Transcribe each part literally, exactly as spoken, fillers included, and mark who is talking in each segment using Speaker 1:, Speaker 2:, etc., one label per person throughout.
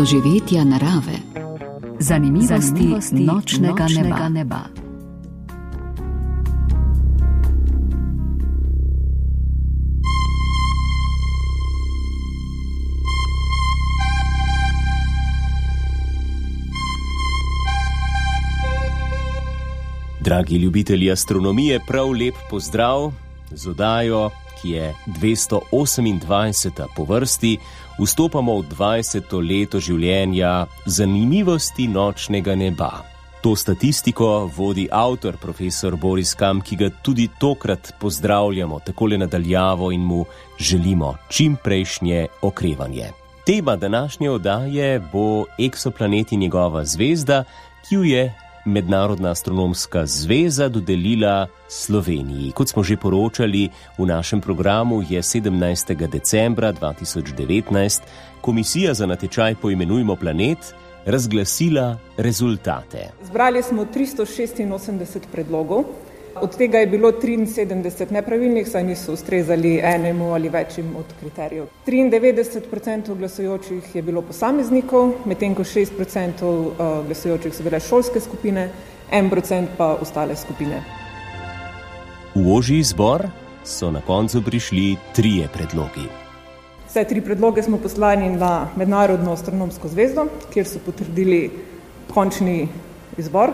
Speaker 1: doživetja narave, zanimivosti, zanimivosti nočnega, nočnega neba. neba.
Speaker 2: Dragi ljubitelji astronomije, prav lep pozdrav z oddajo, ki je dvesto osemindvajseta po vrsti. Vstopamo v dvajseto leto življenja zanimivosti nočnega neba. To statistiko vodi avtor, profesor Boris Kam, ki ga tudi tokrat pozdravljamo takole nadaljavo in mu želimo čim prejšnje okrevanje. Tema današnje oddaje bo eksoplanet in njegova zvezda, ki jo je Mednarodna astronomska zveza dodelila Sloveniji. Kot smo že poročali v našem programu, je sedemnajstega decembra dva tisoč devetnajst Komisija za natečaj Poimenujmo planet razglasila rezultate.
Speaker 3: Zbrali smo tristo šestinosemdeset predlogov, od tega je bilo triinsedemdeset nepravilnih, saj niso ustrezali enemu ali večjim od kriterijev. triindevetdeset procentov glasujočih je bilo posameznikov, medtem ko šest procentov glasujočih so bile šolske skupine, en procent pa ostale skupine.
Speaker 2: V ožji izbor so na koncu prišli trije predlogi.
Speaker 3: Vse tri predloge smo poslali na Mednarodno astronomsko zvezdo, kjer so potrdili končni izbor.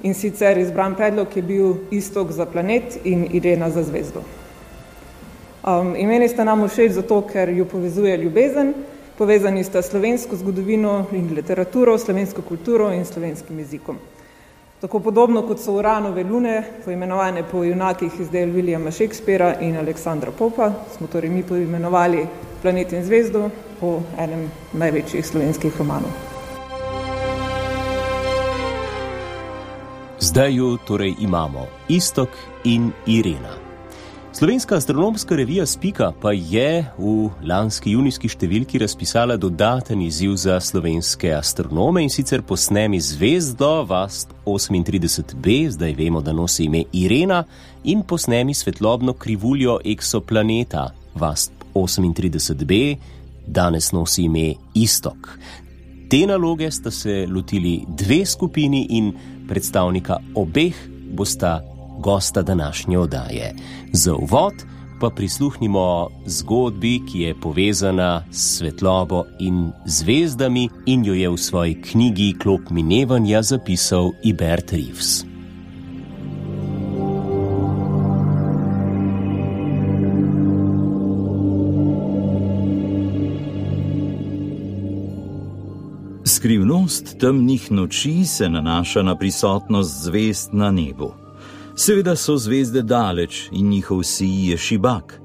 Speaker 3: In sicer izbran predlog je bil Iztok za planet in Irena za zvezdo. Um, imeni sta nam všeč zato, ker ju povezuje ljubezen, povezani sta slovensko zgodovino in literaturo, slovensko kulturo in slovenskim jezikom. Tako podobno kot so Uranove lune, poimenovane po junakih iz del Williama Shakespearea in Aleksandra Popa, smo torej mi poimenovali planet in zvezdo po enem največjih slovenskih romanov.
Speaker 2: Zdaj ju torej imamo, Iztok in Irena. Slovenska astronomska revija Spika pa je v lanski junijski številki razpisala dodaten izziv za slovenske astronome, in sicer posnemi zvezdo Vast osemintrideset b, zdaj vemo, da nosi ime Irena, in posnemi svetlobno krivuljo eksoplaneta Vast osemintrideset b, danes nosi ime Iztok. Te naloge sta se lotili dve skupini in predstavnika obeh bosta gosta današnje oddaje. Za uvod pa prisluhnimo zgodbi, ki je povezana s svetlobo in zvezdami in jo je v svoji knjigi Klop minevanja zapisal Ibert Reeves.
Speaker 4: Skrivnost temnih noči se nanaša na prisotnost zvezd na nebu. Seveda so zvezde daleč in njihov sij je šibak,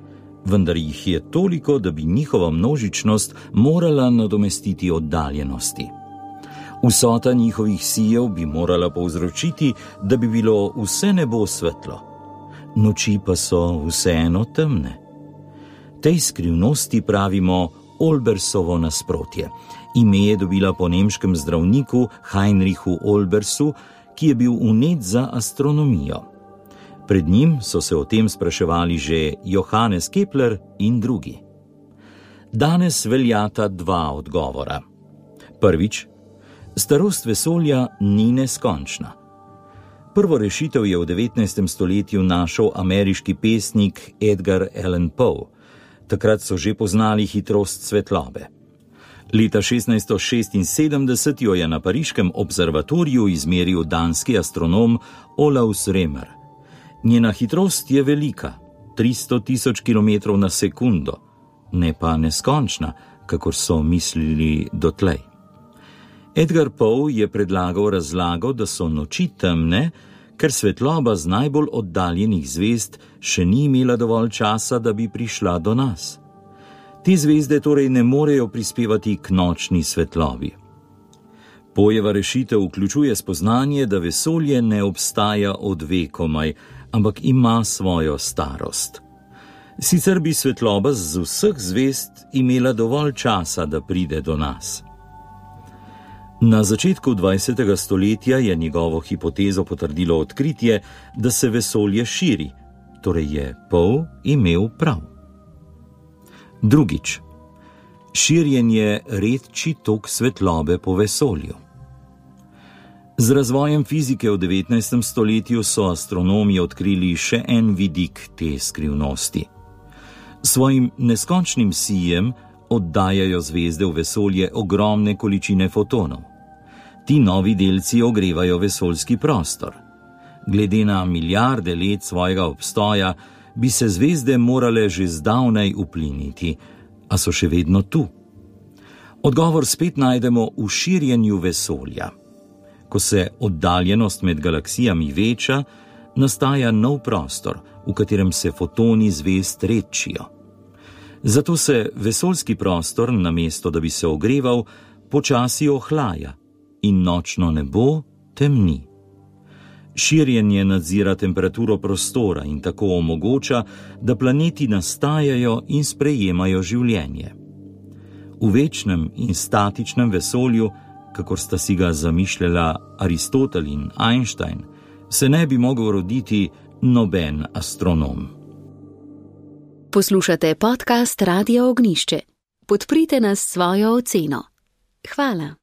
Speaker 4: vendar jih je toliko, da bi njihova množičnost morala nadomestiti oddaljenosti. Vsota njihovih sijev bi morala povzročiti, da bi bilo vse nebo svetlo. Noči pa so vseeno temne. Tej skrivnosti pravimo Olbersovo nasprotje. Ime je dobila po nemškem zdravniku Heinrichu Olbersu, ki je bil vnet za astronomijo. Pred njim so se o tem spraševali že Johannes Kepler in drugi. Danes veljata dva odgovora. Prvič, starost vesolja ni neskončna. Prvo rešitev je v devetnajstem stoletju našel ameriški pesnik Edgar Allan Poe. Takrat so že poznali hitrost svetlobe. Leta šestnajststo šestinsedemdeset jo je na pariškem observatoriju izmeril danski astronom Olaus Remer. Njena hitrost je velika, tristo tisoč kilometrov na sekundo, ne pa neskončna, kakor so mislili dotlej. Edgar Poe je predlagal razlago, da so noči temne, ker svetloba z najbolj oddaljenih zvezd še ni imela dovolj časa, da bi prišla do nas. Te zvezde torej ne morejo prispevati k nočni svetlobi. Poejeva rešitev vključuje spoznanje, da vesolje ne obstaja od vekomaj, ampak ima svojo starost. Sicer bi svetloba z vseh zvezd imela dovolj časa, da pride do nas. Na začetku dvajsetega stoletja je njegovo hipotezo potrdilo odkritje, da se vesolje širi, torej je Poe imel prav. Drugič, Širjenje redči tok svetlobe po vesolju. Z razvojem fizike v devetnajstem stoletju so astronomi odkrili še en vidik te skrivnosti. Svojim neskončnim sijem oddajajo zvezde v vesolje ogromne količine fotonov. Ti novi delci ogrevajo vesoljski prostor. Glede na milijarde let svojega obstoja bi se zvezde morale že zdavnaj upliniti, a so še vedno tu. Odgovor spet najdemo v širjenju vesolja. Ko se oddaljenost med galaksijami veča, nastaja nov prostor, v katerem se fotoni zvezd redčijo. Zato se vesoljski prostor, namesto da bi se ogreval, počasi ohlaja in nočno nebo temni. Širjenje nadzira temperaturo prostora in tako omogoča, da planeti nastajajo in sprejemajo življenje. V večnem in statičnem vesolju, kakor sta si ga zamišljala Aristotel in Einstein, se ne bi mogel roditi noben astronom.
Speaker 1: Poslušate podcast Radia Ognišče. Podprite nas s svojo oceno. Hvala.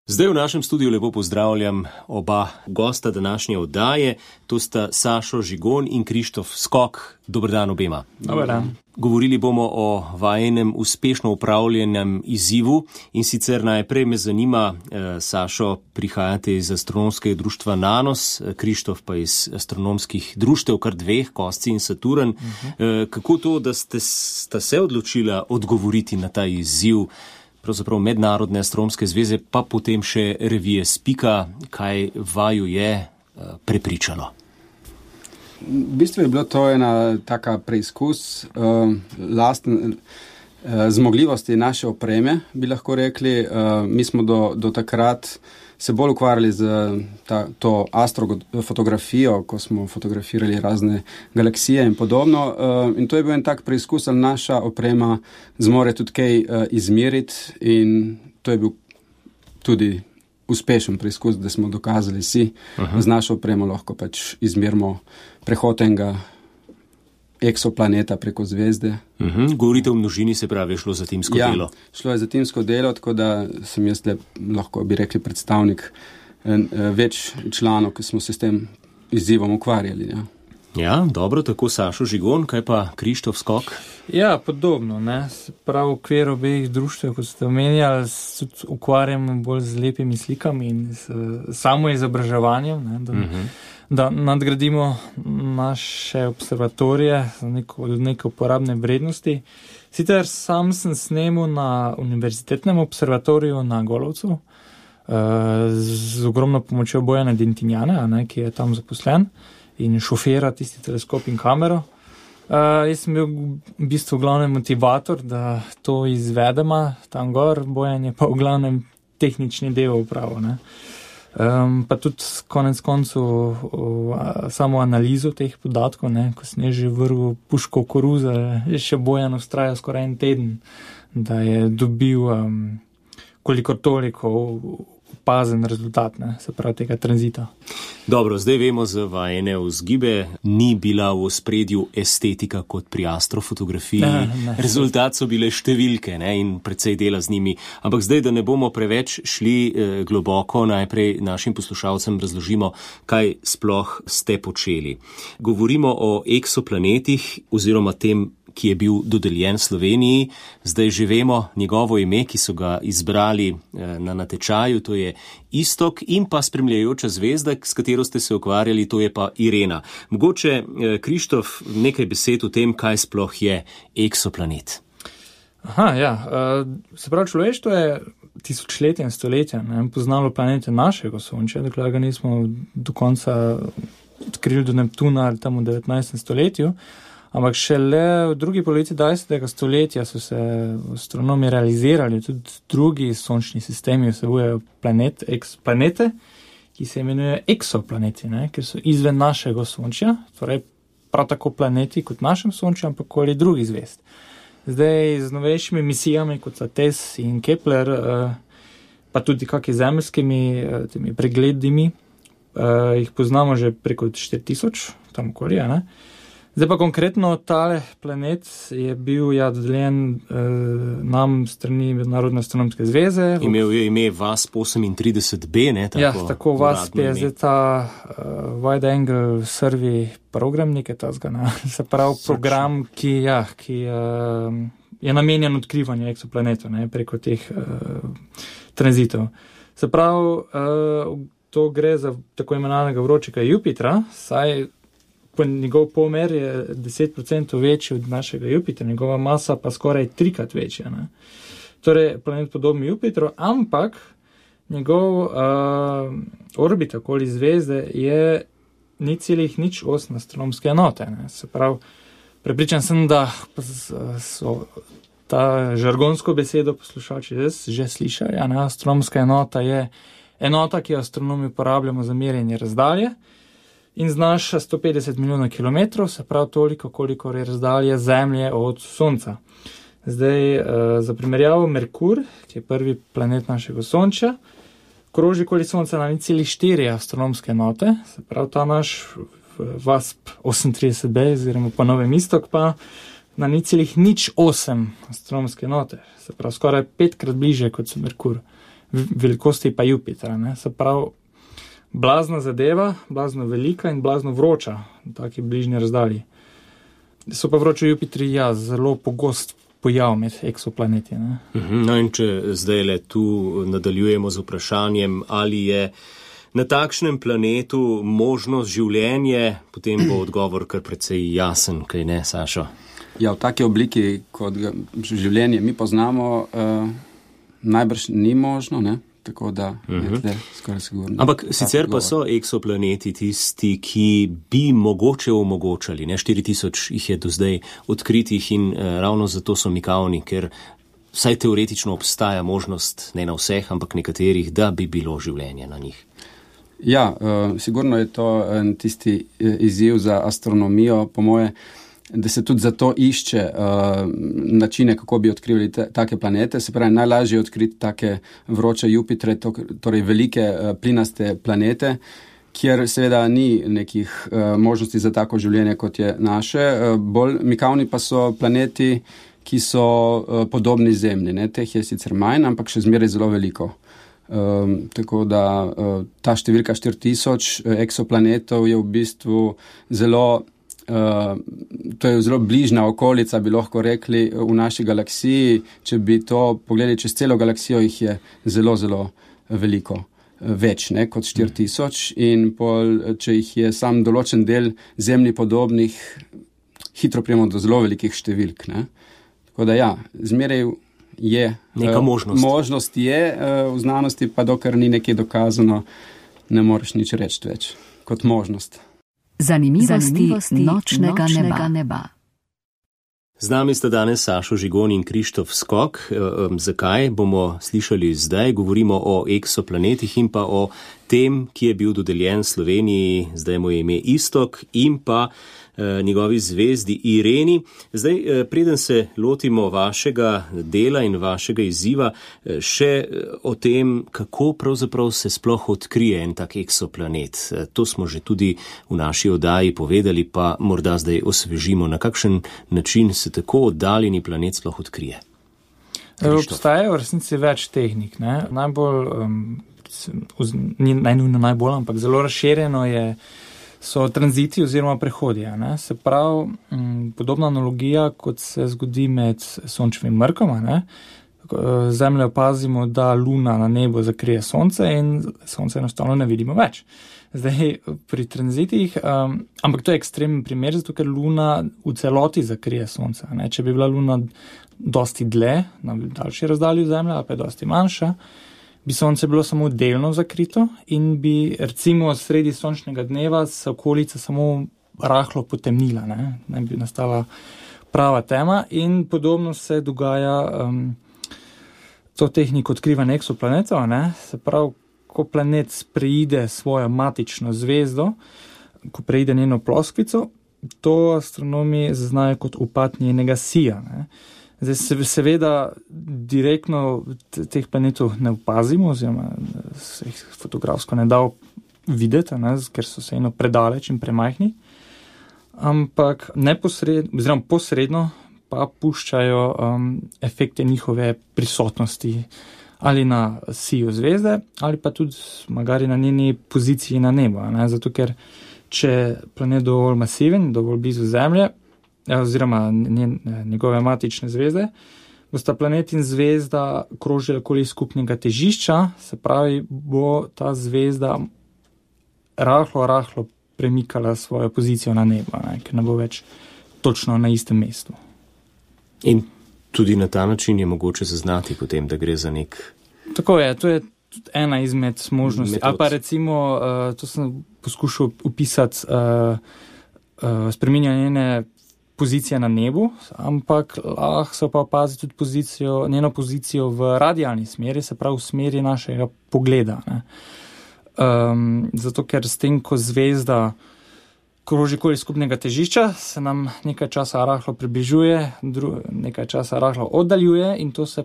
Speaker 2: Zdaj v našem studiu lepo pozdravljam oba gosta današnje oddaje. To sta Sašo Žigon in Krištof Skok. Dober dan obema.
Speaker 5: Dober dan.
Speaker 2: Govorili bomo o vajenem uspešno upravljenem izzivu in sicer najprej me zanima, eh, Sašo, prihajate iz astronomskega društva Nanos, Krištof pa iz astronomskih društev, kar dveh, Kosci in Saturn. Uh-huh. Eh, kako to, da ste sta se odločila odgovoriti na ta izziv, pravzaprav Mednarodne astronomske zveze, pa potem še revije Spika, kaj vaju je uh, prepričalo?
Speaker 5: V bistvu je bilo to ena taka preizkus uh, lastne uh, zmogljivosti naše opreme, bi lahko rekli. Uh, mi smo do, do takrat se bolj ukvarjali z ta, to astrofotografijo, ko smo fotografirali razne galaksije in podobno. Uh, in to je bil en tak preizkus, ali naša oprema zmore tudi kaj uh, izmeriti, in to je bil tudi uspešen preizkus, da smo dokazali si, uh-huh. z našo opremo lahko pač izmerimo prehod enega eksoplaneta preko zvezde.
Speaker 2: Uh-huh. Govorite o množini, se pravi, šlo za timsko
Speaker 5: ja,
Speaker 2: delo.
Speaker 5: Šlo je za timsko delo, tako da sem jaz le, lahko bi rekli, predstavnik več članov, ki smo se s tem izzivom ukvarjali. Ja.
Speaker 2: Ja, dobro, tako Sašo Žigon, kaj pa Krištof Skok?
Speaker 6: Ja, podobno, ne. Prav v okviru obeh društev, kot ste omenjali, se ukvarjam bolj z lepimi slikami in s samo izobraževanjem, ne, da, uh-huh. da nadgradimo naše observatorije za neko, neke uporabne vrednosti. Sicer sam sem snemal na univerzitetnem observatoriju na Golovcu, z ogromno pomočjo Bojana Dentinjana, ne, ki je tam zaposlen in šofira tisti teleskop in kamero. Uh, jaz sem bil v bistvu glavni motivator, da to izvedemo tam gor, Bojan je pa v glavnem tehnični del upravo. Ne. Um, pa tudi konec koncu uh, samo analizo teh podatkov, ne, ko sem že vrgel puško v koruzo, je še Bojan ustrajal skoraj en teden, da je dobil um, kolikor toliko opazen rezultat, ne, se pravi tega tranzita.
Speaker 2: Dobro, zdaj vemo za vajene vzgibe, ni bila v ospredju estetika kot pri astrofotografiji. Ne, ne. Rezultat so bile številke, ne, in precej dela z njimi. Ampak zdaj, da ne bomo preveč šli eh, globoko, najprej našim poslušalcem razložimo, kaj sploh ste počeli. Govorimo o eksoplanetih oziroma tem, ki je bil dodeljen Sloveniji. Zdaj že vemo njegovo ime, ki so ga izbrali na natečaju, to je Istok, in pa spremljajoča zvezda, s katero ste se ukvarjali, to je pa Irena. Mogoče, Krištof, nekaj besed o tem, kaj sploh je eksoplanet.
Speaker 6: Aha, ja. Se pravi, človeštvo je tisočletja in stoletja ne, poznalo planete našega Sončja, dokler ga nismo do konca odkrili do Neptuna ali tam v devetnajstem stoletju. Ampak šele v drugi polovici dvajsetega stoletja so se astronomi realizirali, tudi drugi sončni sistemi vsebujejo planet, eksplanete, ki se imenujejo eksoplaneti, ne, ker so izven našega Sončja, torej prav tako planeti kot našem Sončju, ampak koli drugi zvezd. Zdaj z novejšimi misijami, kot so T E S in Kepler, pa tudi kakimi zemeljskimi temi pregledimi, jih poznamo že preko štiri tisoč, tam okoli, ne. Zdaj pa konkretno tale planet je bil ja dodeljen eh, nam strani Mednarodne astronomske zveze.
Speaker 2: Imel je ime V A S P osemintrideset B, ne? Tako,
Speaker 6: ja, tako V A S P je zdaj ta uh, Wide Angle Survey program, nekaj tazga, ne? Se pravi program, ki, ja, ki uh, je namenjen odkrivanju eksoplanetov, ne? Preko teh uh, tranzitov. Se pravi, uh, to gre za tako imenovanega vročega Jupitra, saj njegov pomer je deset procentov večji od našega Jupitra, njegova masa pa skoraj trikrat večja. Ne? Torej, planet podoben Jupitru, ampak njegov uh, orbita okoli zvezde je ni celih nič osem astronomske enote. Ne? Se pravi, prepričan sem, da so ta žargonsko besedo poslušalci že slišali. Ja, ne? Astronomska enota je enota, ki jo astronomi uporabljamo za merjenje razdalje, in znaša sto petdeset milijonov kilometrov, se pravi toliko, koliko je razdalje Zemlje od Sonca. Zdaj, za primerjavo, Merkur, ki je prvi planet našega Sonča, kroži okoli Sonca na nič celih štiri astronomske enote, se pravi ta naš V A S P osemintrideset B, oziroma po novem Istok, pa na nič celih nič osem astronomske enote, se pravi skoraj petkrat bliže kot so Merkur, velikosti pa Jupitra, ne? Se pravi, blazna zadeva, blazno velika in blazno vroča v taki bližnji razdalji. So pa vroči Jupitri, ja, zelo pogost pojav med eksoplaneti. Ne?
Speaker 2: No in če zdaj le tu nadaljujemo z vprašanjem, ali je na takšnem planetu možnost življenje, potem bo odgovor kar precej jasen, kaj ne, Sašo?
Speaker 5: Ja, v taki obliki, kot ga življenje mi poznamo, uh, najbrž ni možno, ne? Tako da je tle skoraj sigurno.
Speaker 2: Ampak sicer pa so eksoplaneti tisti, ki bi mogoče omogočali, ne, štiri tisoč jih je do zdaj odkritih in eh, ravno zato so mikavni, ker vsaj teoretično obstaja možnost, ne na vseh, ampak nekaterih, da bi bilo življenje na njih.
Speaker 5: Ja, uh, sigurno je to en tisti izziv za astronomijo, po moje, da se tudi zato išče uh, načine, kako bi odkrili te, take planete. Se pravi, najlažje je odkriti take vroče Jupitre, to, torej velike uh, plinaste planete, kjer seveda ni nekih uh, možnosti za tako življenje, kot je naše. Uh, bolj mikavni pa so planeti, ki so uh, podobni Zemlji. Ne? Teh je sicer manj, ampak še zmeraj zelo veliko. Um, tako da uh, ta številka štiri tisoč eksoplanetov je v bistvu zelo Uh, to je zelo bližna okolica, bi lahko rekli, v naši galaksiji. Če bi to pogledali čez celo galaksijo, jih je zelo, zelo veliko več, ne, kot štiri tisoč. In pol, če jih je sam določen del Zemlji podobnih, hitro prijemo do zelo velikih številk. Ne. Tako da ja, zmeraj je
Speaker 2: neka uh, možnost.
Speaker 5: Možnost je uh, v znanosti, pa dokler ni nekaj dokazano, ne moreš nič reči več kot možnost.
Speaker 1: Zanimivosti, Zanimivosti nočnega, nočnega neba. neba.
Speaker 2: Z nami sta danes Sašo Žigon in Krištof Skok. E, e, zakaj bomo slišali zdaj? Govorimo o eksoplanetih in pa o tem, ki je bil dodeljen Sloveniji, zdaj mu je ime Istok, in pa e, njegovi zvezdi Ireni. Zdaj, e, preden se lotimo vašega dela in vašega izziva, e, še o tem, kako pravzaprav se sploh odkrije en tak eksoplanet. E, to smo že tudi v naši oddaji povedali, pa morda zdaj osvežimo, na kakšen način se tako oddaljeni planet sploh odkrije.
Speaker 6: Obstajajo v resnici več tehnik. Ne? Najbolj, um, ni najnujno najbolj, ampak zelo razširjeno je, so tranziti oziroma prehodi. Ne? Se pravi, um, podobna analogija, kot se zgodi med sončevim mrkom. Ne? Zemljo opazimo, da luna na nebu zakrije sonce in sonce enostavno ne vidimo več. Zdaj, pri tranzitih, um, ampak to je ekstremen primer, zato ker luna v celoti zakrije sonce. Ne? Če bi bila luna dosti dlje, na daljši razdalji Zemlje, ali pa je dosti manjša, bi sonce bilo samo delno zakrito in bi recimo sredi sončnega dneva se okolica samo rahlo potemnila, ne, ne bi nastala prava tema in podobno se dogaja um, to tehniko odkrivanja eksoplanetov, ne, se pravi, ko planet preide svojo matično zvezdo, ko preide njeno ploskvico, to astronomi zaznajo kot upad njenega sija, ne. Zdaj, seveda, direktno teh planetov ne opazimo, oziroma se jih fotografsko ne da videti, ne, ker so se eno predaleč in premajhni. ampak neposredno, oziroma posredno pa puščajo um, efekte njihove prisotnosti ali na siju zvezde, ali pa tudi magari na njeni poziciji na nebu. Ne? Zato, ker če planet dovolj masiven, dovolj blizu Zemlje, oziroma njen, njegove matične zvezde, bosta planet in zvezda krožila okoli skupnega težišča, se pravi, bo ta zvezda rahlo, rahlo premikala svojo pozicijo na nebo, ne? Ker ne bo več točno na istem mestu.
Speaker 2: In tudi na ta način je mogoče zaznati potem, da gre za nek...
Speaker 6: Tako je, to je tudi ena izmed možnosti. Ali pa recimo, uh, to sem poskušal upisati, uh, uh, spreminjanje njene pozicije na nebu, ampak lahko se pa opazi tudi pozicijo, njeno pozicijo v radialni smeri, se pravi v smeri našega pogleda. Ne? Um, zato, ker s tem, ko zvezda kroži okoli skupnega težišča, se nam nekaj časa rahlo približuje, dru, nekaj časa rahlo oddaljuje in to se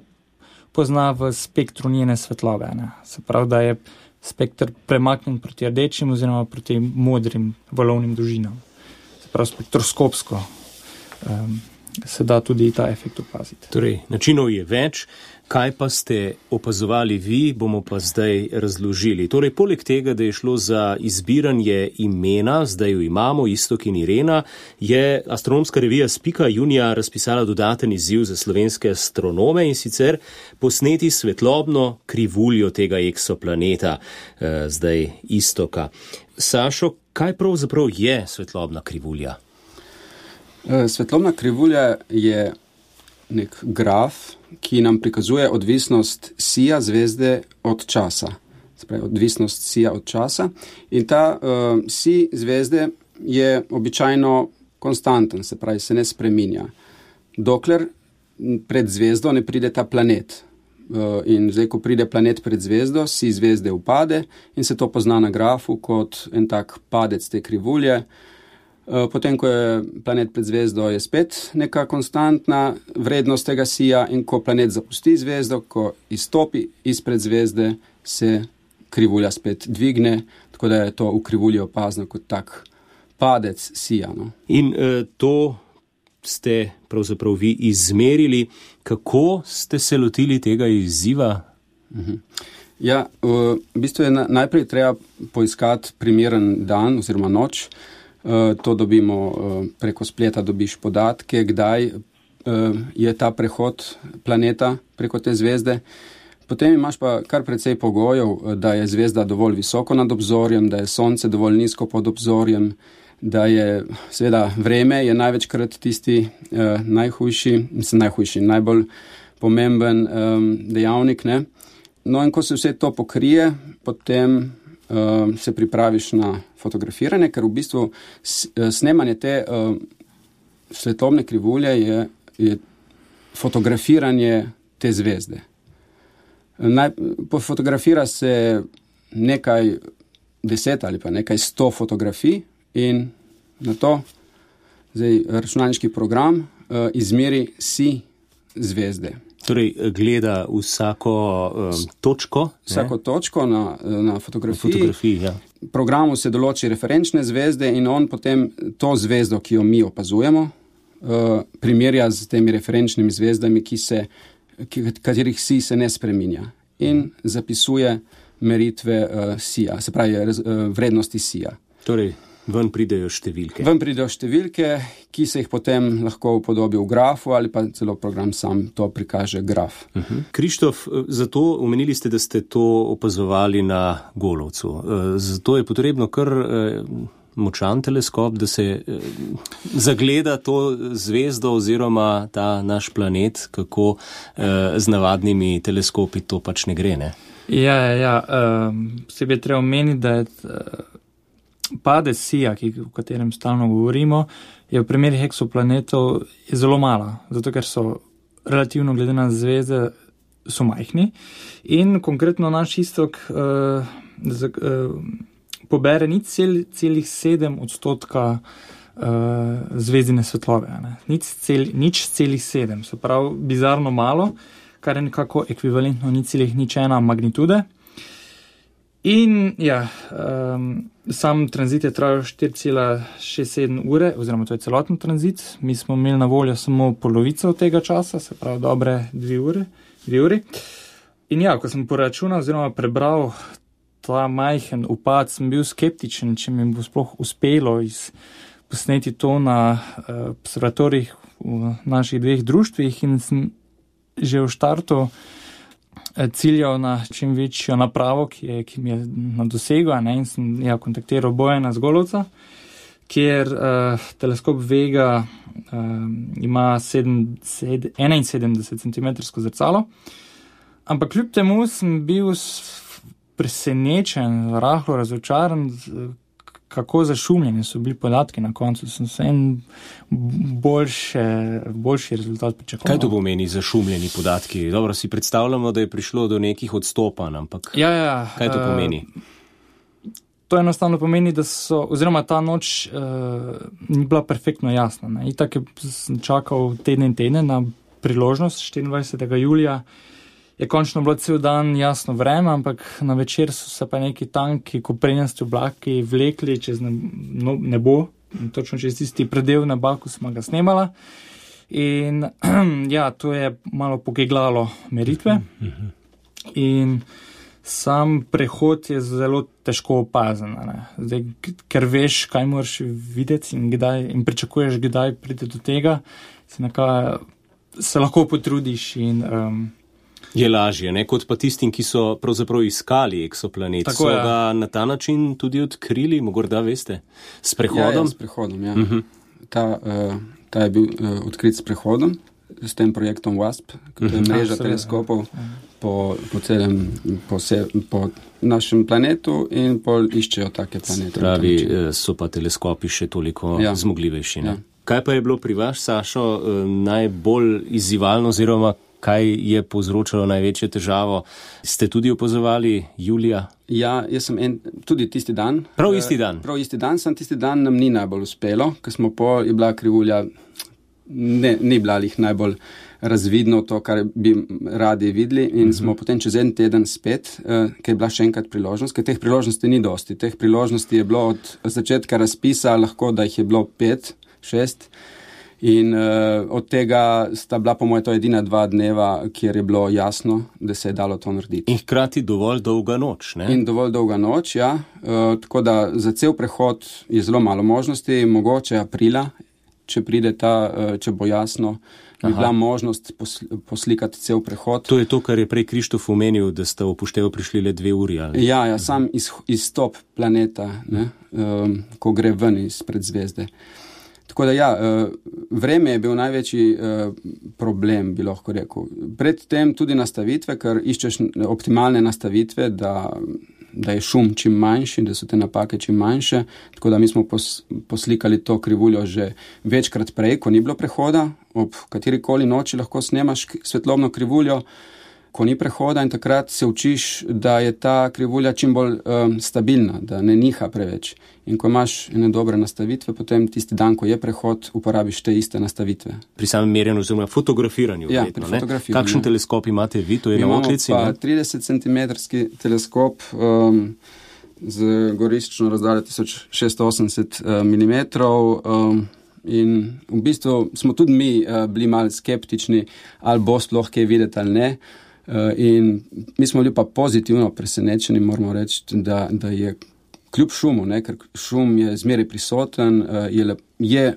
Speaker 6: pozna v spektru njene svetlobe. Ne? Se pravi, da je spektr premaknjen proti rdečim oziroma proti modrim valovnim dolžinam. Se pravi, spektroskopsko um, se da tudi ta efekt opaziti.
Speaker 2: Torej, načinov je več. Kaj pa ste opazovali vi, bomo pa zdaj razložili. Torej, poleg tega, da je šlo za izbiranje imena, zdaj jo imamo, Iztok in Irena, je astronomska revija Spika junija razpisala dodaten izziv za slovenske astronome in sicer posneti svetlobno krivuljo tega eksoplaneta, eh, zdaj Iztoka. Sašo, kaj pravzaprav je svetlobna krivulja?
Speaker 5: Svetlobna krivulja je nek graf, ki nam prikazuje odvisnost sija zvezde od časa. Spravi, odvisnost sija od časa. In ta uh, sij zvezde je običajno konstanten, se pravi, se ne spreminja. Dokler pred zvezdo ne pride ta planet. Uh, in zdaj, ko pride planet pred zvezdo, sij zvezde upade in se to pozna na grafu kot en tak padec te krivulje. Potem, ko je planet pred zvezdo, je spet neka konstantna vrednost tega sija in ko planet zapusti zvezdo, ko izstopi izpred zvezde, se krivulja spet dvigne, tako da je to v krivulji opazno kot tak padec sija. No.
Speaker 2: In eh, to ste pravzaprav vi izmerili. Kako ste se lotili tega izziva?
Speaker 5: Mhm. Ja, v bistvu je najprej treba poiskati primeren dan oziroma noč. Uh, to dobimo uh, preko spleta, dobiš podatke, kdaj uh, je ta prehod planeta preko te zvezde. Potem imaš pa kar precej pogojev, da je zvezda dovolj visoko nad obzorjem, da je sonce dovolj nizko pod obzorjem, da je seveda vreme je največkrat tisti uh, najhujši, mislim najhujši, najbolj pomemben um, dejavnik. Ne? No in ko se vse to pokrije, potem Uh, se pripraviš na fotografiranje, ker v bistvu snemanje te uh, svetlobne krivulje je, je fotografiranje te zvezde. Naj, fotografira se nekaj deset ali pa nekaj sto fotografij in na to zdaj računalniški program uh, izmeri sij zvezde.
Speaker 2: Torej, gleda vsako um, točko.
Speaker 5: Vsako ne? točko na, na fotografiji.
Speaker 2: fotografiji ja.
Speaker 5: Programu se določi referenčne zvezde in on potem to zvezdo, ki jo mi opazujemo, uh, primerja z temi referenčnimi zvezdami, ki se, ki, katerih sij se ne spreminja. In zapisuje meritve uh, sija, se pravi uh, vrednosti sija.
Speaker 2: Torej, ven pridejo številke.
Speaker 5: Ven pridejo številke, ki se jih potem lahko upodobi v grafu ali pa celo program sam to prikaže graf.
Speaker 2: Uh-huh. Krištof, zato omenili ste, da ste to opazovali na Golovcu. Zato je potrebno kar močan teleskop, da se zagleda to zvezdo oziroma ta naš planet, kako z navadnimi teleskopi to pač ne gre, ne?
Speaker 6: Ja, ja, ja. Posebej je treba omeniti, da je padec sija, ki, o katerem stalno govorimo, je v primerih eksoplanetov je zelo mala, zato ker so relativno glede na zvezde so majhni in konkretno naš Iztok uh, z, uh, pobere nič cel, celih sedem odstotka uh, zvezdine svetlobe. Ne? Nič, cel, nič celih sedem, se pravi bizarno malo, kar je nekako ekvivalentno nič celih nič ena magnitude. In ja, um, sam tranzit je trajal štiri cela šest sedem ure, oziroma to je celoten tranzit. Mi smo imeli na voljo samo polovico tega časa, se pravi dobre dve ure, dve uri. In ja, ko sem poračunal oziroma prebral ta majhen upad, sem bil skeptičen, če mi bo sploh uspelo iz, posneti to na uh, observatorijih v naših dveh društvih, in sem že v štartu ciljal na čim večjo napravo, ki, je, ki mi je na dosegu, ne, in sem ja, kontaktiral Bojana Zgolovca, kjer uh, teleskop Vega uh, ima sedem, sedem, enainsedemdeset centimetrsko zrcalo, ampak kljub temu sem bil presenečen, rahlo razočaran, kako zašumljeni so bili podatki na koncu. Sem se en boljše, boljši rezultat pričakoval.
Speaker 2: Kaj to pomeni zašumljeni podatki? Dobro, si predstavljamo, da je prišlo do nekih odstopanj, ampak
Speaker 6: ja, ja,
Speaker 2: kaj to pomeni?
Speaker 6: Uh, to enostavno pomeni, da so, oziroma ta noč uh, ni bila perfektno jasna. Ne. Itak sem čakal teden in teden na priložnost, štiriindvajsetega julija, je končno bilo cel dan jasno vreme, ampak na večer so se pa neki tanki koprenjasti oblaki vlekli čez nebo, točno čez tisti predel neba, ko smo ga snemala. In ja, to je malo pogeglalo meritve. In sam prehod je zelo težko opazen, Zdaj, ker veš, kaj moraš videti in, kdaj, in pričakuješ, kdaj pride do tega, se, nekaj, se lahko potrudiš in um,
Speaker 2: je lažje, ne, kot pa tistim, ki so pravzaprav iskali eksoplanet. Tako so je. Ga na ta način tudi odkrili, morda veste, s prehodom?
Speaker 5: Ja, ja, s prehodom, ja. Uh-huh. Ta, uh, ta je bil uh, odkrit s prehodom, s tem projektom WASP, ki je uh-huh. mreža teleskopov uh-huh. po, po celem, po, se, po našem planetu in pol iščejo take planete.
Speaker 2: Pravi, so pa teleskopi še toliko ja. zmogljivejši. Ja. Kaj pa je bilo pri vas, Sašo, najbolj izzivalno oziroma kaj je povzročalo največjo težavo? Ste tudi opazovali julija?
Speaker 5: Ja, jaz sem en, tudi tisti dan.
Speaker 2: Prav isti dan?
Speaker 5: Prav isti dan, sem tisti dan nam ni najbolj uspelo, ker smo pol, je bila krivulja, ne, ni bila jih najbolj razvidno to, kar bi radi videli in uh-huh. smo potem čez en teden spet, uh, ker je bila še enkrat priložnost, ker teh priložnosti ni dosti. Teh priložnosti je bilo od začetka razpisa, lahko da jih je bilo pet, šest, in uh, od tega sta bila po moje to edina dva dneva, kjer je bilo jasno, da se je dalo to narediti.
Speaker 2: In hkrati dovolj dolga noč, ne?
Speaker 5: In dovolj dolga noč, ja. Uh, tako da za cel prehod je zelo malo možnosti, mogoče aprila, če pride ta, uh, če bo jasno, bi bila možnost posl- poslikati cel prehod.
Speaker 2: To je to, kar je prej Krištof omenil, da sta upoštevo prišli le dve uri, ali?
Speaker 5: Ja, ja, sam iz, izstop planeta, ne, um, ko gre ven izpred zvezde. Tako da ja, vreme je bil največji problem, bi lahko rekel. Predtem tudi nastavitve, ker iščeš optimalne nastavitve, da, da je šum čim manjši, da so te napake čim manjše. Tako da mi smo pos, poslikali to krivuljo že večkrat prej, ko ni bilo prehoda. Ob katerikoli noči lahko snemaš svetlobno krivuljo, ko ni prehoda, in takrat se učiš, da je ta krivulja čim bolj um, stabilna, da ne niha preveč. In ko imaš ene dobre nastavitve, potem tisti dan, ko je prehod, uporabiš te iste nastavitve.
Speaker 2: Pri samem merjenju oziroma fotografiranju.
Speaker 5: Ja,
Speaker 2: vedno,
Speaker 5: pri fotografiranju.
Speaker 2: Kakšen teleskop imate vi? To je na oklici?
Speaker 5: Imamo pa trideset centimetrski teleskop um, z goriščno razdaljo tisoč šeststo osemdeset uh, milimetrov. Um, in v bistvu smo tudi mi uh, bili malo skeptični, ali bo sploh kaj videti ali ne. Uh, in mi smo bili pa pozitivno presenečeni, moramo reči, da, da je kljub šumu, ne, ker šum je zmeraj prisoten, uh, je, le, je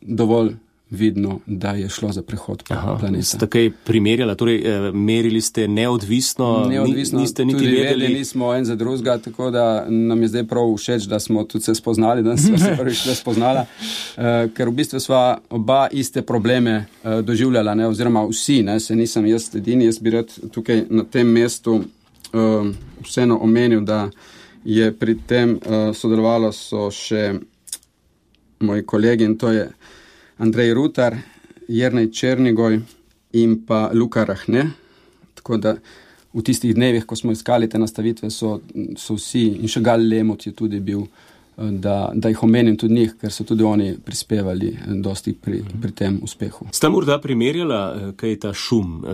Speaker 5: dovolj vidno, da je šlo za prehod planeta.
Speaker 2: Ste kaj primerjala, torej eh, merili ste neodvisno,
Speaker 5: neodvisno
Speaker 2: niste niti
Speaker 5: tudi
Speaker 2: vedeli?
Speaker 5: vedeli nismo en za drugega, tako da nam je zdaj prav všeč, da smo tudi se spoznali, da smo se prvič le spoznala, uh, ker v bistvu sva oba iste probleme uh, doživljala, ne, oziroma vsi, ne, se nisem jaz edini, jaz bi rad tukaj na tem mestu uh, vseeno omenil, da je pri tem uh, sodelovalo so še moji kolegi, in to je Andrej Rutar, Jernej Černigoj in pa Luka Rahne. Tako da v tistih dnevih, ko smo iskali te nastavitve, so, so vsi, in še Gal Lemot je tudi bil da, da jih omenim tudi njih, ker so tudi oni prispevali dosti pri, pri tem uspehu.
Speaker 2: Ste morda primerjala, kaj je ta šum?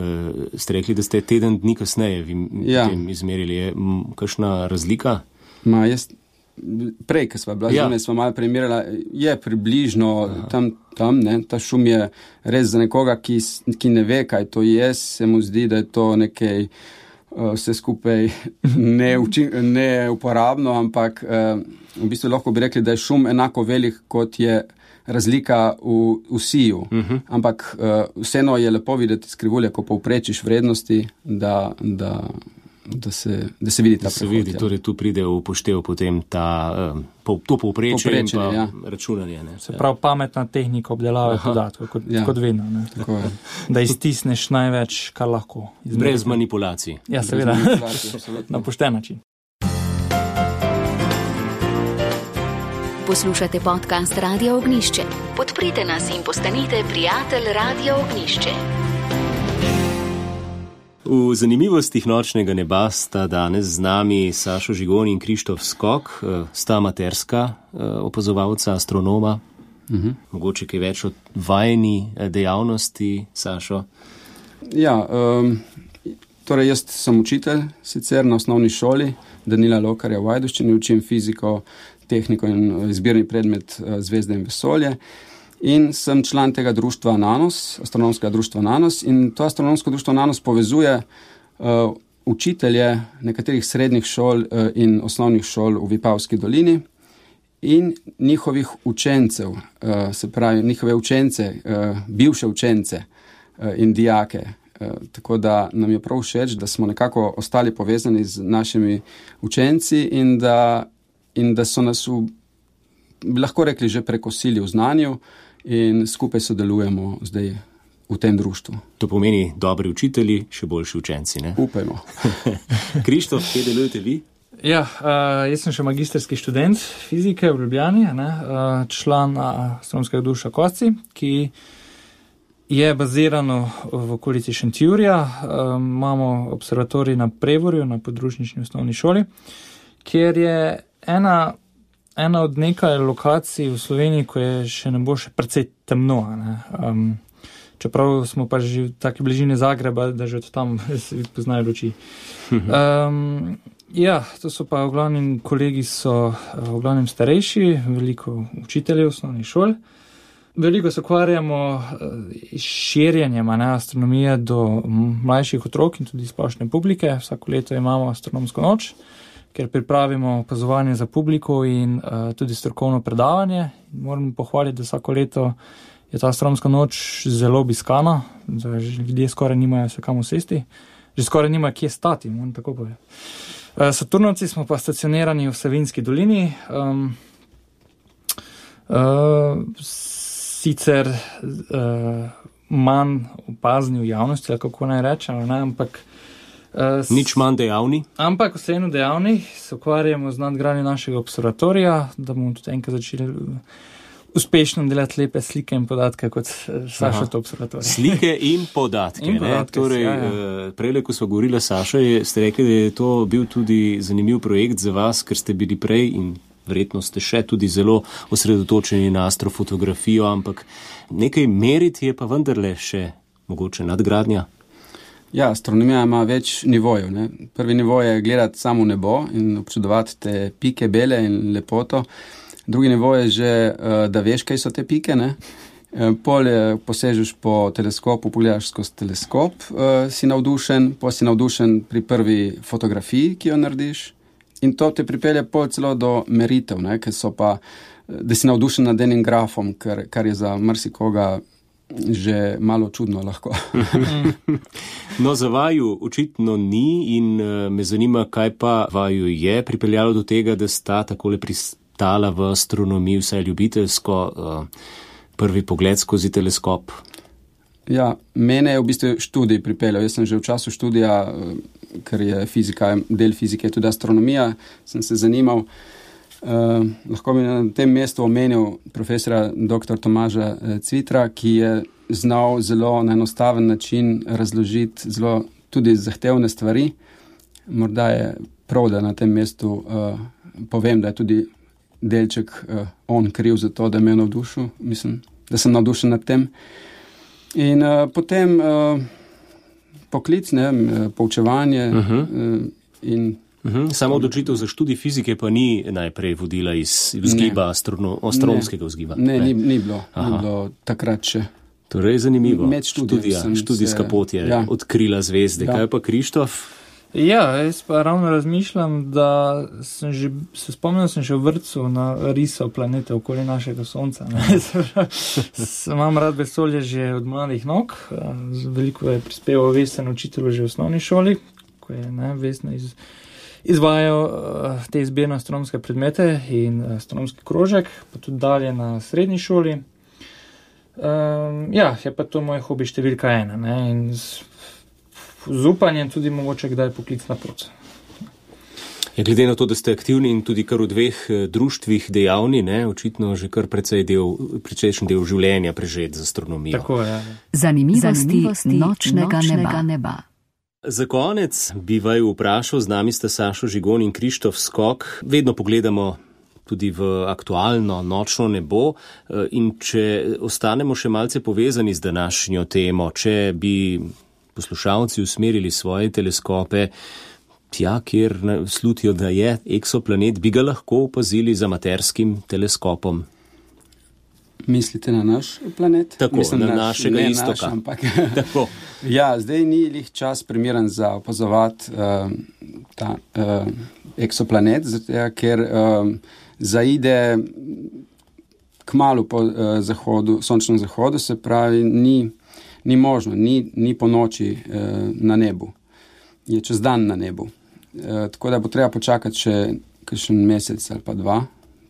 Speaker 2: Ste rekli, da ste teden dni kasneje vi ja. tem izmerili. Je kakšna razlika?
Speaker 5: Ma, jaz, prej, ko sva bila ja. zunaj, sva malo primerjala, je približno Aha. tam, tam ne, ta šum je res za nekoga, ki, ki ne ve, kaj to je, se mu zdi, da je to nekaj vse skupaj neuporabno, ampak v bistvu lahko bi rekli, da je šum enako velik, kot je razlika v, v siju. Uh-huh. Ampak vseeno je lepo videti skrivulje, ko povprečiš vrednosti, da, da, da, se, da se vidi ta
Speaker 2: da se vidi, torej tu pride v upoštev potem ta, to povprečje in pa ja. računanje. Ne?
Speaker 6: Se pravi pametna tehnika obdelave podatkov, kot, ja. kot vedno. Ne? Da iztisneš največ, kar lahko.
Speaker 2: Izmeriti. Brez manipulacij.
Speaker 6: Ja, seveda. Na pošten način.
Speaker 1: Poslušate podcast Radio Ognjišče. Podprite nas in postanite prijatelj Radio Ognjišče.
Speaker 2: V zanimivostih nočnega neba sta danes z nami Sašo Žigon in Krištof Skok, sta amaterska opazovalca, astronoma. Uh-huh. Mogoče kaj več od vajeni dejavnosti, Sašo?
Speaker 5: Ja, um, torej jaz sem učitelj sicer na osnovni šoli Danila Lokarja v Ajdovščini, učim fiziko, tehniko in izbirni predmet Zvezde in vesolje. In sem član tega društva Nanos, astronomskega društva Nanos, in to astronomsko društvo Nanos povezuje uh, učitelje nekaterih srednjih šol uh, in osnovnih šol v Vipavski dolini in njihovih učencev, uh, se pravi njihove učence, uh, bivše učence uh, in dijake. Uh, tako da nam je prav všeč, da smo nekako ostali povezani z našimi učenci in da, in da so nas v, bi lahko rekli, že prekosili v znanju, in skupaj sodelujemo zdaj v tem društvu.
Speaker 2: To pomeni dobri učitelji, še boljši učenci, ne?
Speaker 5: Upajmo.
Speaker 2: Krištof, kje delujete vi?
Speaker 6: Ja, uh, jaz sem še magisterski študent fizike v Ljubljani, ne? Uh, član astronomskega društva Kosci, ki je bazirano v okolici Šentjurja. Uh, imamo observatorij na Prevorju, na podružnični osnovni šoli, kjer je ena Ena od nekaj lokacij v Sloveniji, ko je še ne bo še precej temno. Ne? Um, čeprav smo pa že v taki bližini Zagreba, da že od tam se poznajo luči. Um, ja, to so pa v glavnem kolegi so v glavnem starejši, veliko učiteljev osnovnih šol. Veliko se ukvarjamo s širjenjem astronomije do mlajših otrok in tudi splošne publike. Vsako leto imamo astronomsko noč, ker pripravimo opazovanje za publiko in uh, tudi strokovno predavanje. Moram pohvaliti, da vsako leto je ta astronomska noč zelo obiskana, da ljudje skoraj nimajo se kam usesti, že skoraj nimajo kje stati, moram tako povedati. Uh, Saturnovci smo pa stacionirani v Savinjski dolini, um, uh, sicer uh, manj opazni v javnosti, ali kako naj rečem, ne, ampak
Speaker 2: Uh, Nič manj dejavni?
Speaker 6: Ampak vseeno dejavni, se ukvarjamo z nadgradnjo našega observatorija, da bomo tudi enkrat začeli uspešno delati lepe slike in podatke kot Saša to observatorij.
Speaker 2: Slike in podatke.
Speaker 6: In podatke
Speaker 2: torej,
Speaker 6: ja, ja.
Speaker 2: Prejle, ko smo govorili s Sašo, ste rekli, da je to bil tudi zanimiv projekt za vas, ker ste bili prej in verjetno ste še tudi zelo osredotočeni na astrofotografijo, ampak nekaj meriti je pa vendarle še mogoče nadgradnja.
Speaker 5: Ja, astronomija ima več nivojev. Ne? Prvi nivo je gledati samo nebo in občudovati te pike bele in lepoto. Drugi nivo je že, da veš, kaj so te pike. Ne? Pol posežeš po teleskopu, pogledaš skozi teleskop, si navdušen, pol si navdušen pri prvi fotografiji, ki jo narediš. In to te pripelje pol celo do meritev, ne? Ker so pa, da si navdušen nad enim grafom, kar, kar je za marsikoga že malo čudno lahko.
Speaker 2: No, za vaju očitno ni in me zanima, kaj pa vaju je pripeljalo do tega, da sta takole pristala v astronomiji, vsaj ljubiteljsko, prvi pogled skozi teleskop.
Speaker 5: Ja, mene je v bistvu študij pripeljal. Jaz sem že v času študija, ker je fizika, del fizike je tudi astronomija, sem se zanimal. Uh, lahko bi na tem mestu omenil profesora doktor Tomaža Cvitra, ki je znal zelo na enostaven način razložiti zelo tudi zahtevne stvari. Morda je prav, da na tem mestu uh, povem, da je tudi delček uh, on kriv za to, da me je navdušil, mislim, da sem navdušen nad tem. In uh, potem uh, poklic, ne, poučevanje uh-huh. uh, in
Speaker 2: Uhum. Samo odločitev za študij fizike pa ni najprej vodila iz vzgiba, astrono, astronomskega vzgiba.
Speaker 5: Ne, ni, ni, bilo, ni bilo takrat še.
Speaker 2: Torej, zanimivo.
Speaker 5: Med študijem.
Speaker 2: Študijska
Speaker 5: se,
Speaker 2: pot je
Speaker 5: ja.
Speaker 2: odkrila zvezde. Ja. Kaj pa Krištof?
Speaker 6: Ja, jaz pa ravno razmišljam, da sem že, se spomnil sem še v vrtcu na risal planete okoli našega Sonca. Imam rad vesolje že od mladih nog. Veliko je prispeval Vesna učitelju že v osnovni šoli, ko je ne, Vesna iz izvajajo uh, te izbirne astronomske predmete in uh, astronomski krožek, pa tudi dalje na srednji šoli. Um, ja, je pa to moj hobi številka ena, ne, in z, z upanjem tudi mogoče kdaj poklicna pot.
Speaker 2: Ja, glede na to, da ste aktivni in tudi kar v dveh društvih dejavni, ne, očitno že kar precej del, precejšen del življenja prežet z astronomijo.
Speaker 6: Tako je.
Speaker 1: Zanimivosti, Zanimivosti nočnega, nočnega neba. neba.
Speaker 2: Za konec bi vaju vprašal, z nami sta Sašo Žigon in Krištof Skok. Vedno pogledamo tudi v aktualno nočno nebo in če ostanemo še malce povezani z današnjo temo, če bi poslušalci usmerili svoje teleskope tja, kjer slutijo, da je eksoplanet, bi ga lahko opazili z amaterskim teleskopom.
Speaker 5: Mislite na naš planet?
Speaker 2: Tako, Mislim, na naš, našega istoka.
Speaker 5: Naš, ampak, ja, zdaj ni lih čas primeren za opazovati uh, ta uh, eksoplanet, zato, ker uh, zaide kmalu po uh, zahodu, sončnem zahodu, se pravi, ni, ni možno, ni, ni po noči uh, na nebu. Je čez dan na nebu. Uh, tako da bo treba počakati še kakšen mesec ali pa dva.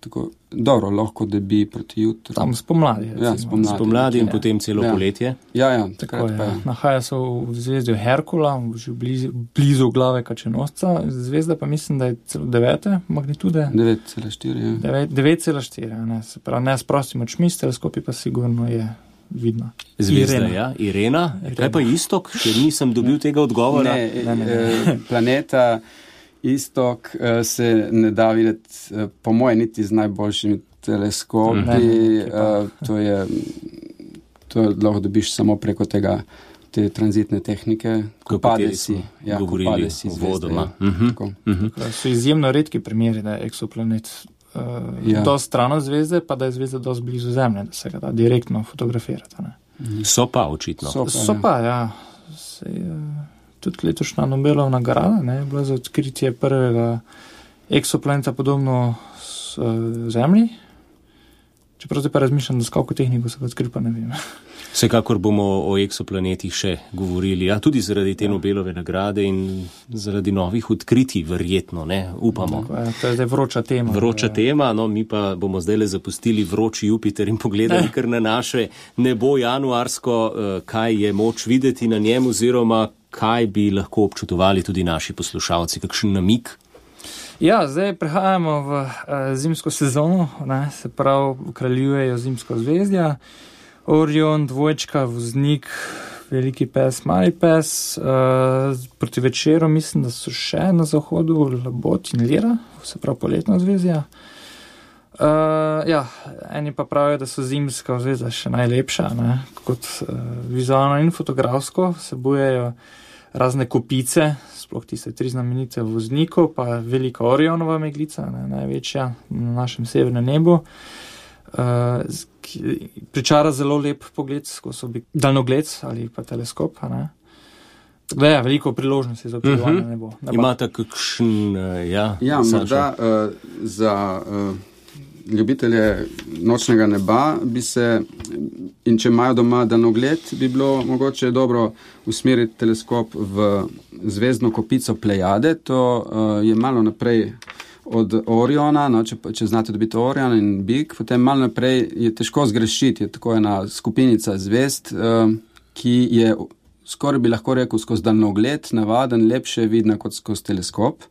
Speaker 5: Tako, dobro, lahko, da bi proti jutru.
Speaker 6: Tam spomladi.
Speaker 5: Ja, spomladi.
Speaker 2: Spomladi in ja. Potem celo
Speaker 5: ja.
Speaker 2: poletje.
Speaker 5: Ja, ja.
Speaker 6: Tako je. Ja. Nahaja se v zvezdi Herkula, že blizu, blizu glave Kačenosca. Zvezda pa mislim, da je celo devete magnitude.
Speaker 5: devet cela štiri, ja.
Speaker 6: devet cela štiri, ne. Se pravi, ne s prostimi očmi, s teleskopi pa sigurno je vidno.
Speaker 2: Zvezda, Irena. Ja. Irena. Irena. Kaj pa istok? Še nisem dobil tega odgovora.
Speaker 5: Ne, ne, ne. E, planeta Istok uh, se ne da videti, uh, po moje, niti z najboljšimi teleskopi. Ne, ne, uh, to je, to lahko dobiš samo preko tega, te tranzitne tehnike, ko pade si. Ja,
Speaker 2: govorili
Speaker 5: si
Speaker 2: o vodoma.
Speaker 5: Ja. Uh-huh.
Speaker 6: Uh-huh. So izjemno redki primeri, da je eksoplanet uh, ja. dosti stran od zvezde, pa da je zvezda dosti blizu Zemlje, da se ga da direktno fotografirati. Ne?
Speaker 2: Uh-huh. So pa očitno.
Speaker 6: So pa, so pa ja. Sej, uh, Tudi letošnja Nobelova nagrada, ne, je bila za odkritje prvega eksoplaneta podobno s uh, Zemlji. Čeprav zdaj pa razmišljam, da s kako tehniko se ga odkril, pa ne vem.
Speaker 2: Vsekakor bomo o eksoplanetih še govorili, ja, tudi zaradi te ja. Nobelove nagrade in zaradi novih odkritij, verjetno, ne, upamo.
Speaker 6: Tako, ja, to je zdaj vroča tema.
Speaker 2: Vroča
Speaker 6: ja.
Speaker 2: tema, no, mi pa bomo zdaj le zapustili vroči Jupiter in pogledali kar na naše nebo januarsko, uh, kaj je moč videti na njem oziroma kaj bi lahko občutovali tudi naši poslušalci, kakšen namik?
Speaker 6: Ja, zdaj prehajamo v uh, zimsko sezono, ne, se pravi, kraljujejo zimsko zvezdja, Orion, dvojčka, Voznik, Veliki pes, Mali pes, uh, proti večeru mislim, da so še na zahodu Labot in Lira, se pravi poletna zvezdja. Uh, ja, eni pa pravijo, da so zimska zvezda še najlepša, ne, kot uh, vizualno in fotografsko, vsebujejo razne kopice, sploh tiste tri znamenite v Vozniku, pa velika Orionova meglica, ne, največja na našem severnem nebu. Uh, pričara zelo lep pogled skozi daljnogled ali pa teleskop, ne. Da je veliko priložnosti za občudovanje uh-huh. nebo. Neba.
Speaker 2: Imate kakšen, uh, ja,
Speaker 5: ja morda uh, za uh, ljubitelje nočnega neba bi se, in če imajo doma daljnogled, bi bilo mogoče dobro usmeriti teleskop v zvezdno kopico Plejade. To uh, je malo naprej od Oriona, no, če, če znate dobiti Orion in Big, potem malo naprej je težko zgrešiti, je tako ena skupinica zvezd, uh, ki je skoraj bi lahko rekel skozi daljnogled, navaden, lepše vidna kot skozi teleskop,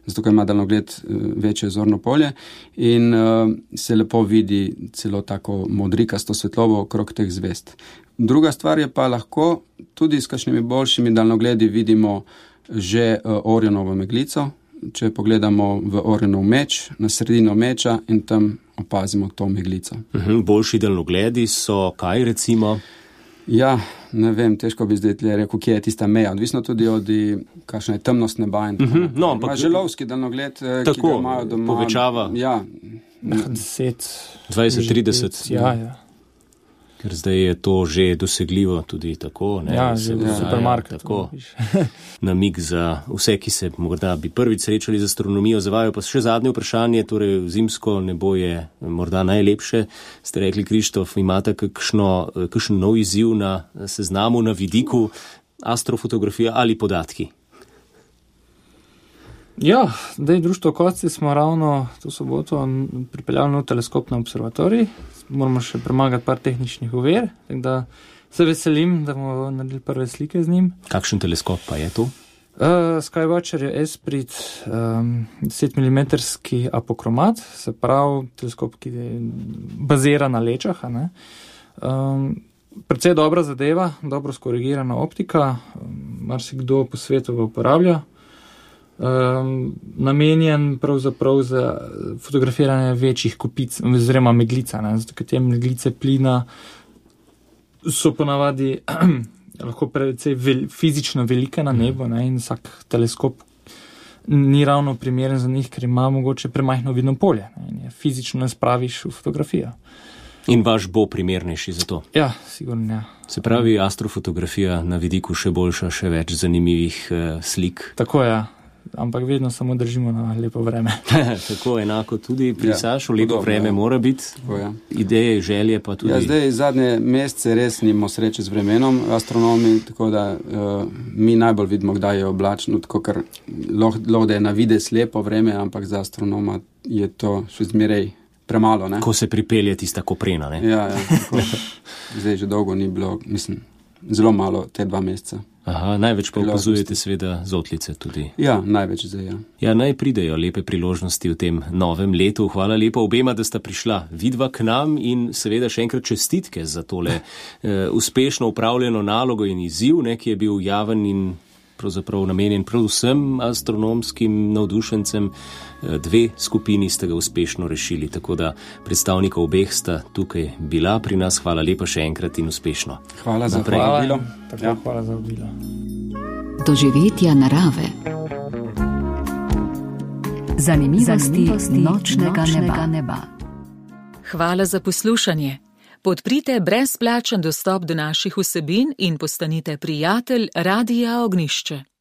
Speaker 5: zato ker ima daljnogled večje zorno polje in uh, se lepo vidi celo tako modrikasto svetlobo okrog teh zvezd. Druga stvar je pa lahko tudi s kakšnimi boljšimi daljnogledi vidimo že uh, Orionovo meglico, če pogledamo v Orionov meč, na sredino meča in tam opazimo to meglico.
Speaker 2: Uhum, boljši daljnogledi so kaj recimo?
Speaker 5: Ja, ne vem, težko bi zdaj rekel, kje je tista meja. Odvisno tudi od, kakšna je temnost neba in tako.
Speaker 2: Uhum, no, ampak...
Speaker 5: Želovski daljnogled,
Speaker 2: tako,
Speaker 5: ki ga imajo doma.
Speaker 2: Povečava.
Speaker 5: Ja.
Speaker 6: deset,
Speaker 2: dvajset, trideset.
Speaker 6: Ja, ja.
Speaker 2: Ker zdaj je to že dosegljivo tudi tako. Ne,
Speaker 6: ja, že v supermarketu.
Speaker 2: Namig za vse, ki se morda bi prvič srečali z astronomijo, zavajo pa še zadnje vprašanje, torej zimsko nebo je morda najlepše. Ste rekli, Krištof, imate kakšno, kakšen nov izziv na seznamu, na vidiku, astrofotografija ali podatki?
Speaker 6: Ja, zdaj društvo Kocci smo ravno to soboto pripeljali nov teleskop na observatorij. Moramo še premagati par tehničnih ovir, tako da se veselim, da bomo naredili prve slike z njim.
Speaker 2: Kakšen teleskop pa je to?
Speaker 6: Uh, Skywatcher je Esprit um, deset milimetrski apokromat, se pravi teleskop, ki je bazira na lečah. Ne? Um, predvsej dobra zadeva, dobro skorigirana optika, um, marsikdo po svetu ga uporablja. Um, namenjen pravzaprav za fotografiranje večjih kopic, oziroma meglica, ne, zato ker te meglice plina so ponavadi lahko precej vel, fizično velike na nebu, ne, in vsak teleskop ni ravno primeren za njih, ker ima mogoče premajhno vidno polje, ne, in je fizično ne spraviš v fotografijo.
Speaker 2: In vaš bo primernejši za to?
Speaker 6: Ja, sigurno, ja.
Speaker 2: Se pravi, astrofotografija na vidiku še boljša, še več zanimivih uh, slik.
Speaker 6: Tako je, ja. Ampak vedno samo držimo na lepo vreme.
Speaker 2: Tako enako tudi pri
Speaker 5: ja,
Speaker 2: Sašu, lepo podobno, vreme ja. Mora biti, tako, ja. Ideje, želje pa tudi.
Speaker 5: Ja, zdaj zadnje mesece res nimamo sreče z vremenom astronomi, tako da uh, mi najbolj vidimo, kdaj je oblačno, tako ker lahko da je na vides lepo vreme, ampak za astronoma je to še zmeraj premalo. Ne?
Speaker 2: Ko se pripelje tista koprena, ne?
Speaker 5: Ja, ja, tako, zdaj že dolgo ni bilo, mislim, zelo malo te dva meseca.
Speaker 2: Aha, največ pa opazujete seveda zotlice tudi.
Speaker 5: Ja, največ zdaj, ja.
Speaker 2: Ja, naj pridejo lepe priložnosti v tem novem letu. Hvala lepa obema, da sta prišla vidva k nam in seveda še enkrat čestitke za tole eh, uspešno upravljeno nalogo in izziv, ne, ki je bil javen in pravzaprav namenjen predvsem astronomskim navdušencem. Dve skupini ste ga uspešno rešili, tako da predstavnikov obeh sta tukaj bila pri nas. Hvala lepa še enkrat in uspešno.
Speaker 5: Hvala za vabilo.
Speaker 6: Ja. Hvala za vabilo.
Speaker 1: Doživetja narave. Zanimivosti, Zanimivosti nočnega, nočnega neba. neba.
Speaker 7: Hvala za poslušanje. Podprite brezplačen dostop do naših vsebin in postanite prijatelj Radia Ognišče.